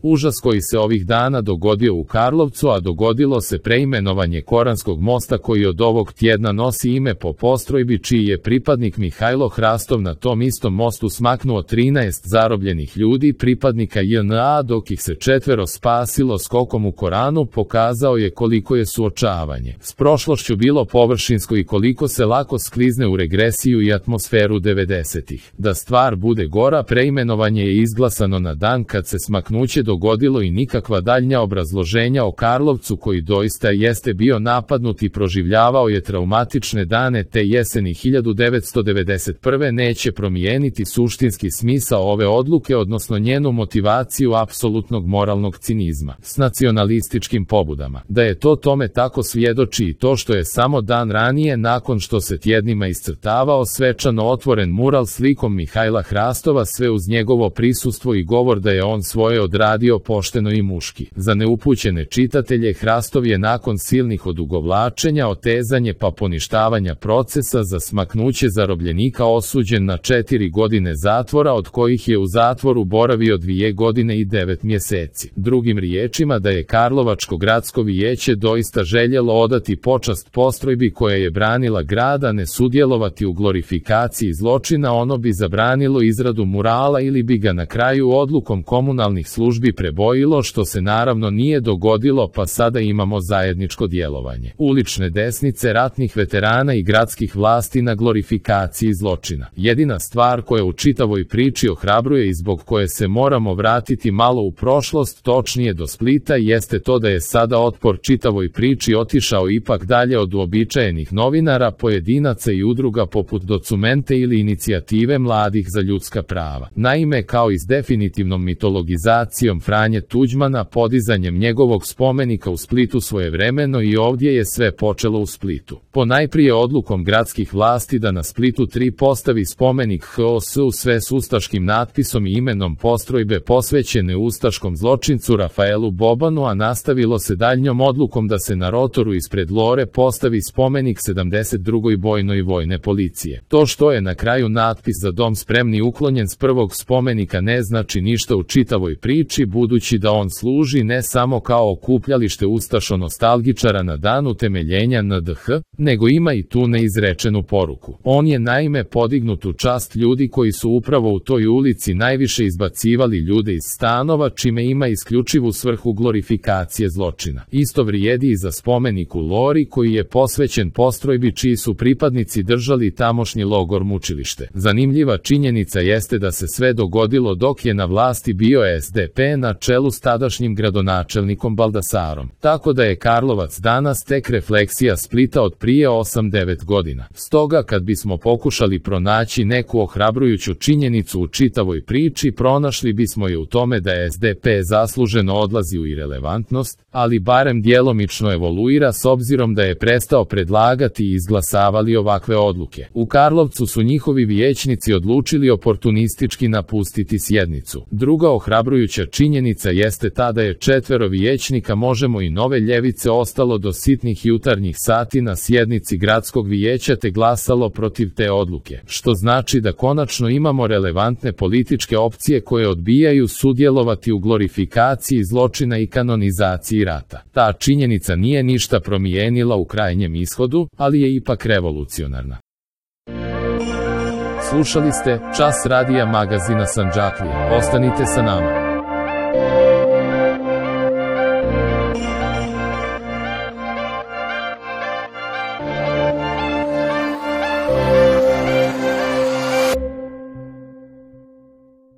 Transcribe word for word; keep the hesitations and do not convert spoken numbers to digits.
Užas koji se ovih dana dogodio u Karlovcu, a dogodilo se preimenovanje Koranskog mosta koji od ovog tjedna nosi ime po postrojbi čiji je pripadnik Mihajlo Hrastov na tom istom mostu smaknuo trinaest zarobljenih ljudi pripadnika J N A dok ih se četvero spasilo skokom u Koranu, pokazao je koliko je suočavanje s prošlošću bilo površinsko i koliko se lako sklizne u regresiju i atmosferu devedesetih. Da stvar bude gora, preimenovanje je izglasano na dan kad se smaknuće dogodilo i nikakva daljnja obrazloženja o Karlovcu koji doista jeste bio napadnut i proživljavao je traumatične dane te jeseni hiljadu devetsto devedeset prve neće promijeniti suštinski smisao ove odluke, odnosno njenu motivaciju apsolutnog moralnog cinizma s nacionalističkim pobudama. Da je to tome tako svjedoči i to što je samo dan ranije, nakon što se tjednima iscrtavao svečano otvoren mural slikom Mihajla Hrastova, sve uz njegovo prisustvo i govor da je on svoje odradio pošteno i muški. Za neupućene čitatelje, Hrastov je nakon silnih odugovlačenja, otezanje pa poništavanja procesa za smaknuće zarobljenika osuđen na četiri godine zatvora, od kojih je u zatvoru boravio dvije godine i devet mjeseci. Drugim riječima, da je Karlovačko gradsko vijeće doista željelo odati počast postrojbi koja je branila grad, a ne sudjelovati u glorifikaciji zločina, ono bi zabranilo izradu murala ili bi ga na kraju odlukom komunalnih službi prebojilo, što se naravno nije dogodilo, pa sada imamo zajedničko djelovanje ulične desnice, ratnih veterana i gradskih vlasti na glorifikaciji zločina. Jedina stvar koja u čitavoj priči ohrabruje i zbog koje se moramo vratiti malo u prošlost, točnije do Splita, jeste to da je sada otpor čitavoj priči otišao ipak dalje od uobičajenih novinara, pojedinaca i udruga poput Documente ili Inicijative mladih za ljudska prava. Naime, kao i s definitivnom mitologizacijom Franje Tuđmana, podizanjem njegovog spomenika u Splitu svojevremeno, i ovdje je sve počelo u Splitu. Ponajprije odlukom gradskih vlasti da na Splitu tri postavi spomenik H O S u sve s ustaškim natpisom i imenom postrojbe posvećene ustaškom zločincu Rafaelu Bobanu, a nastavilo se daljnjom odlukom da se na rotoru ispred Lore postavi spomenik sedamdeset drugoj bojnoj vojne policije. To što je na kraju natpis Za dom spremni uklonjen s prvog spomenika ne znači ništa u čitavoj priči, budući da on služi ne samo kao okupljalište ustašo-nostalgičara na dan utemeljenja N D H, nego ima i tu neizrečenu poruku. On je naime podignut u čast ljudi koji su upravo u toj ulici najviše izbacivali ljude iz stanova, čime ima isključivu svrhu glorifikacije zločina. Isto vrijedi i za spomenik u Lori koji je posvećen postrojbi čiji su pripadnici držali tamošnji logor mučilište. Zanimljiva činjenica jeste da se sve dogodilo dok je na vlasti bio S D P na čelu s tadašnjim gradonačelnikom Baldasarom. Tako da je Karlovac danas tek refleksija Splita od prije osam devet godina. Stoga kad bismo pokušali pronaći neku ohrabrujuću činjenicu u čitavoj priči, pronašli bismo je u tome da S D P zasluženo odlazi u irelevantnost, ali barem djelomično evoluira s obzirom da je prestao predlagati i izglasavali ovakve odluke. U Karlovcu su njihovi vijećnici odlučili oportunistički napustiti sjednicu. Druga ohrabrujuća činjenica jeste ta da je četvero vijećnika Možemo i Nove ljevice ostalo do sitnih jutarnjih sati na sjednici gradskog vijeća te glasalo protiv te odluke, što znači da konačno imamo relevantne političke opcije koje odbijaju sudjelovati u glorifikaciji zločina i kanonizaciji rata. Ta činjenica nije ništa promijenila u krajnjem ishodu, ali je ipak revolucionarna. Slušali ste Čas radija magazina Sandžaklija. Ostanite sa nama.